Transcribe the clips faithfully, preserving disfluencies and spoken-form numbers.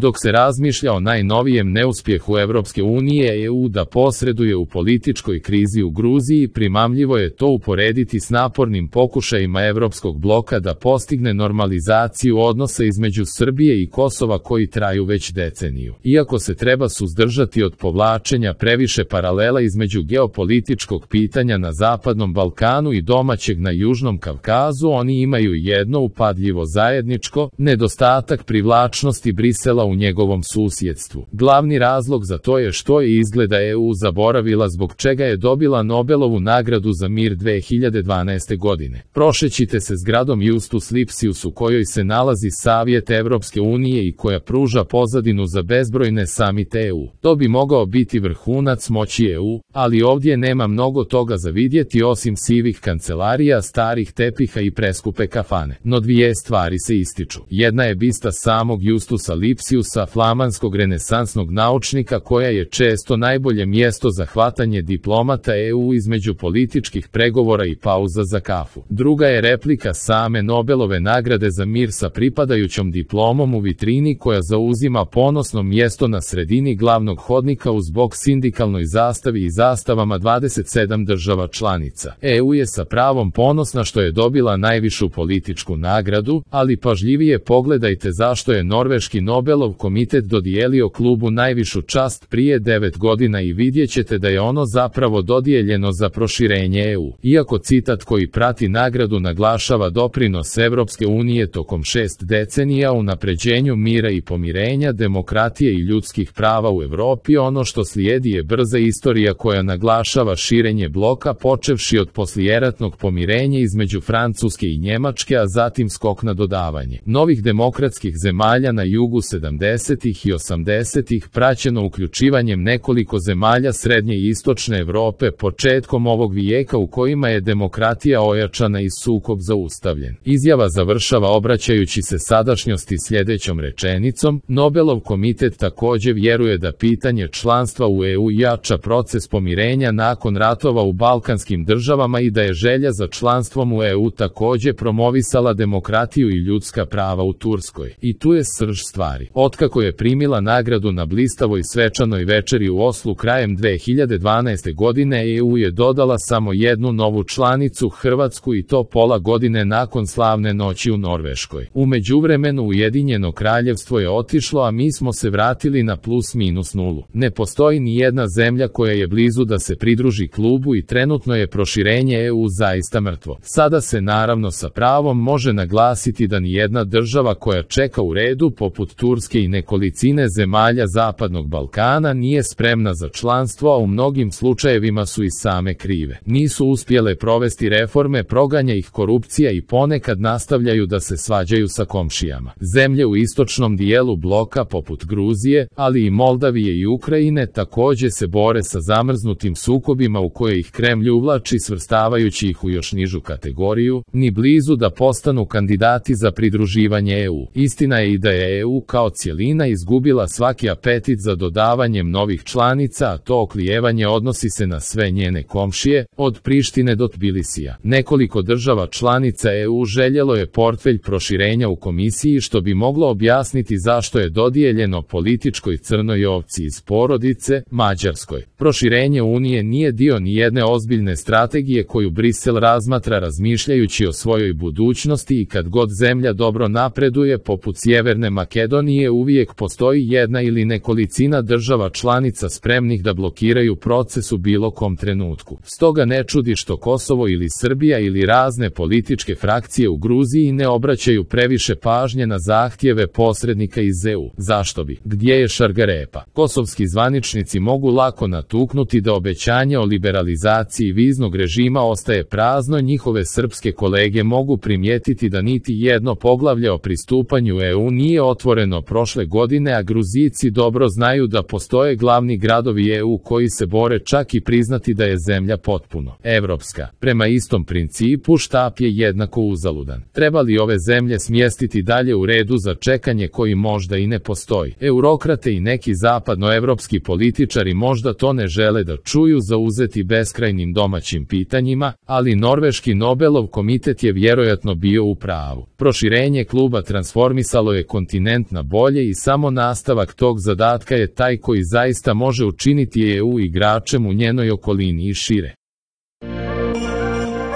Dok se razmišlja o najnovijem neuspjehu Evropske unije E U da posreduje u političkoj krizi u Gruziji, primamljivo je to uporediti s napornim pokušajima Evropskog bloka da postigne normalizaciju odnosa između Srbije i Kosova koji traju već deceniju. Iako se treba suzdržati od povlačenja previše paralela između geopolitičkog pitanja na Zapadnom Balkanu i domaćeg na Južnom Kavkazu, oni imaju jedno upadljivo zajedničko, nedostatak privlačnosti Brisela u njegovom susjedstvu. Glavni razlog za to je što je izgleda E U zaboravila zbog čega je dobila Nobelovu nagradu za mir dve hiljade dvanaeste godine. Prošećite se zgradom Justus Lipsius u kojoj se nalazi Savjet Evropske unije i koja pruža pozadinu za bezbrojne samite E U. To bi mogao biti vrhunac moći E U, ali ovdje nema mnogo toga za vidjeti osim sivih kancelarija, starih tepiha i preskupe kafane. No dvije stvari se ističu. Jedna je bista samog Justusa Lipsiusa, flamanskog renesansnog naučnika koja je često najbolje mjesto za hvatanje diplomata E U između političkih pregovora i pauza za kafu. Druga je replika same Nobelove nagrade za mir sa pripadajućom diplomom u vitrini koja zauzima ponosno mjesto na sredini glavnog hodnika uz bok sindikalnoj zastavi i zastavama dvadeset sedam država članica. E U je sa pravom ponosna što je dobila najvišu političku nagradu, ali pažljivije pogledajte zašto je norveški Nobelov komitet dodijelio klubu najvišu čast prije devet godina i vidjet ćete da je ono zapravo dodijeljeno za proširenje E U. Iako citat koji prati nagradu naglašava doprinos Evropske unije tokom šest decenija u napređenju mira i pomirenja, demokratije i ljudskih prava u Evropi, ono što slijedi je brza istorija koja naglašava širenje bloka počevši od poslijeratnog pomirenja između Francuske i Njemačke, a zatim skok na dodavanje novih demokratskih zemalja na jugu sedamdesetih i osamdesetih, praćeno uključivanjem nekoliko zemalja srednje i istočne Evrope početkom ovog vijeka u kojima je demokratija ojačana i sukob zaustavljen. Izjava završava obraćajući se sadašnjosti sljedećom rečenicom: Nobelov komitet također vjeruje da pitanje članstva u E U jača proces pomirenja nakon ratova u balkanskim državama i da je želja za članstvom u E U također promovisala demokratiju i ljudska prava u Turskoj. I tu je srž stvari. Otkako je primila nagradu na blistavoj svečanoj večeri u Oslu krajem dve hiljade dvanaeste godine, E U je dodala samo jednu novu članicu, Hrvatsku, i to pola godine nakon slavne noći u Norveškoj. U međuvremenu Ujedinjeno kraljevstvo je otišlo, a mi smo se vratili na plus minus nulu. Ne postoji ni jedna zemlja koja je blizu da se pridruži klubu i trenutno je proširenje E U zaista mrtvo. Sada se naravno sa pravom može naglasiti da ni jedna država koja čeka u redu poput Turske i nekolicine zemalja Zapadnog Balkana nije spremna za članstvo, a u mnogim slučajevima su i same krive. Nisu uspjele provesti reforme, proganja ih korupcija i ponekad nastavljaju da se svađaju sa komšijama. Zemlje u istočnom dijelu bloka poput Gruzije, ali i Moldavije i Ukrajine također se bore sa zamrznutim sukobima u koje ih Kremlj uvlači svrstavajući ih u još nižu kategoriju, ni blizu da postanu kandidati za pridruživanje E U. Istina je i da je E U kao cjelina izgubila svaki apetit za dodavanjem novih članica, a to oklijevanje odnosi se na sve njene komšije, od Prištine do Tbilisija. Nekoliko država članica E U željelo je portfelj proširenja u komisiji, što bi moglo objasniti zašto je dodijeljeno političkoj crnoj ovci iz porodice, Mađarskoj. Proširenje Unije nije dio ni jedne ozbiljne strategije koju Brisel razmatra razmišljajući o svojoj budućnosti, i kad god zemlja dobro napreduje poput Sjeverne Makedonije, uvijek postoji jedna ili nekolicina država članica spremnih da blokiraju proces u bilo kom trenutku. Stoga ne čudi što Kosovo ili Srbija ili razne političke frakcije u Gruziji ne obraćaju previše pažnje na zahtjeve posrednika iz E U. Zašto bi? Gdje je šargarepa? Kosovski zvaničnici mogu lako natuknuti da obećanje o liberalizaciji viznog režima ostaje prazno, njihove srpske kolege mogu primijetiti da niti jedno poglavlje o pristupanju E U nije otvoreno prošle godine, a Gruzijci dobro znaju da postoje glavni gradovi E U koji se bore čak i priznati da je zemlja potpuno evropska. Prema istom principu štap je jednako uzaludan. Treba li ove zemlje smjestiti dalje u redu za čekanje koji možda i ne postoji? Eurokrate i neki zapadnoevropski političari možda to ne žele da čuju, zauzeti beskrajnim domaćim pitanjima, ali norveški Nobelov komitet je vjerojatno bio u pravu. Proširenje kluba transformisalo je kontinent na bolje, volje i samo nastavak tog zadatka je taj koji zaista može učiniti E U igračem u njenoj okolini i šire.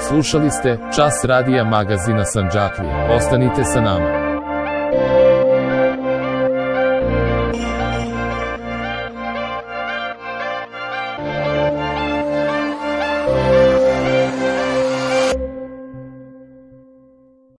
Slušali ste Čas radija magazina Sandžaklija. Ostanite sa nama.